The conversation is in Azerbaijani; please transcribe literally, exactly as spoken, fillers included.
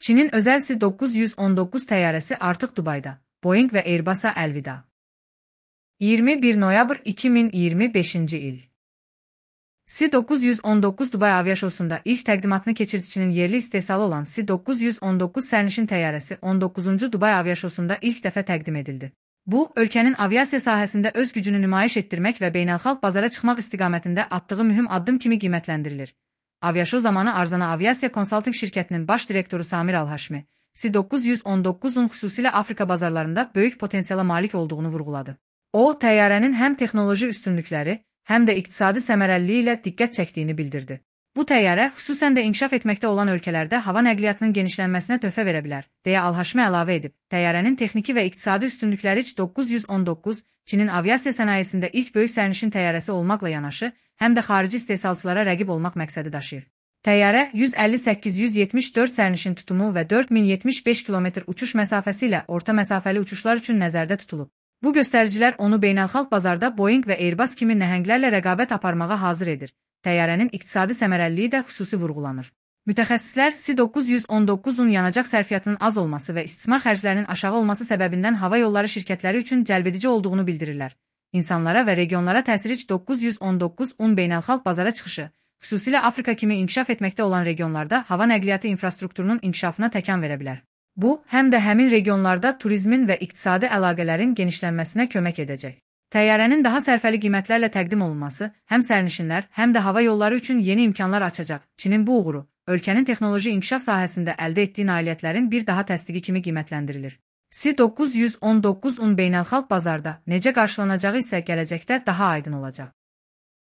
Çinin özəl S doqquz yüz on doqquz təyyarəsi artıq Dubayda. Boeing və Airbus'a əlvida. iyirmi bir noyabr iki min iyirmi beşinci il. S doqquz yüz on doqquz Dubay aviaşosunda ilk təqdimatını keçirdiçinin yerli istehsalı olan S doqquz yüz on doqquz sərnişin təyyarəsi on doqquzuncu Dubay aviaşosunda ilk dəfə təqdim edildi. Bu, ölkənin aviasiya sahəsində öz gücünü nümayiş etdirmək və beynəlxalq bazara çıxmaq istiqamətində atdığı mühüm addım kimi qiymətləndirilir. Aviaşo zamanı Arzana Aviasiya Konsalting şirkətinin baş direktoru Samir Al-Haşmi, S doqquz yüz on doqquzun xüsusilə Afrika bazarlarında böyük potensiala malik olduğunu vurğuladı. O, təyyarənin həm texnoloji üstünlükləri, həm də iqtisadi səmərəliliyi ilə diqqət çəkdiyini bildirdi. Bu təyyarə xüsusən də inkişaf etməkdə olan ölkələrdə hava nəqliyyatının genişlənməsinə töhfə verə bilər, deyə Al-Haşmi əlavə edib. Təyyarənin texniki və iqtisadi üstünlükləri S doqquz yüz on doqquz, Çinin aviasiya sənayesində ilk böyük sərnişin təyyarəsi olmaqla yanaşı, həm də xarici istehsalçılara rəqib olmaq məqsədi daşıyır. Təyyarə yüz əlli səkkiz yüz yetmiş dörd sərnişin tutumu və dörd min yetmiş beş kilometr uçuş məsafəsi ilə orta məsafəli uçuşlar üçün nəzərdə tutulub. Bu göstəricilər onu beynəlxalq bazarda Boeing və Airbus kimi nəhənglərlə rəqabət aparmağa hazır edir. Təyyarənin iqtisadi səmərəliliyi də xüsusi vurğulanır. Mütəxəssislər S doqquz yüz on doqquzun yanacaq sərfiyyatının az olması və istismar xərclərinin aşağı olması səbəbindən hava yolları şirkətləri üçün cəlbedici olduğunu bildirirlər. İnsanlara və regionlara təsiri S doqquz yüz on doqquzun beynəlxalq bazara çıxışı, xüsusilə Afrika kimi inkişaf etməkdə olan regionlarda hava nəqliyyatı infrastrukturunun inkişafına təkan verə bilər. Bu, həm də həmin regionlarda turizmin və iqtisadi əlaqələrin genişlənməsinə kömək edəcək. Təyyarənin daha sərfəli qiymətlərlə təqdim olunması həm sərnişinlər, həm də hava yolları üçün yeni imkanlar açacaq. Çinin bu uğuru, ölkənin texnoloji inkişaf sahəsində əldə etdiyi nailiyyətlərin bir daha təsdiqi kimi qiymətləndirilir. S doqquz yüz on doqquzun beynəlxalq bazarda necə qarşılanacağı isə gələcəkdə daha aydın olacaq.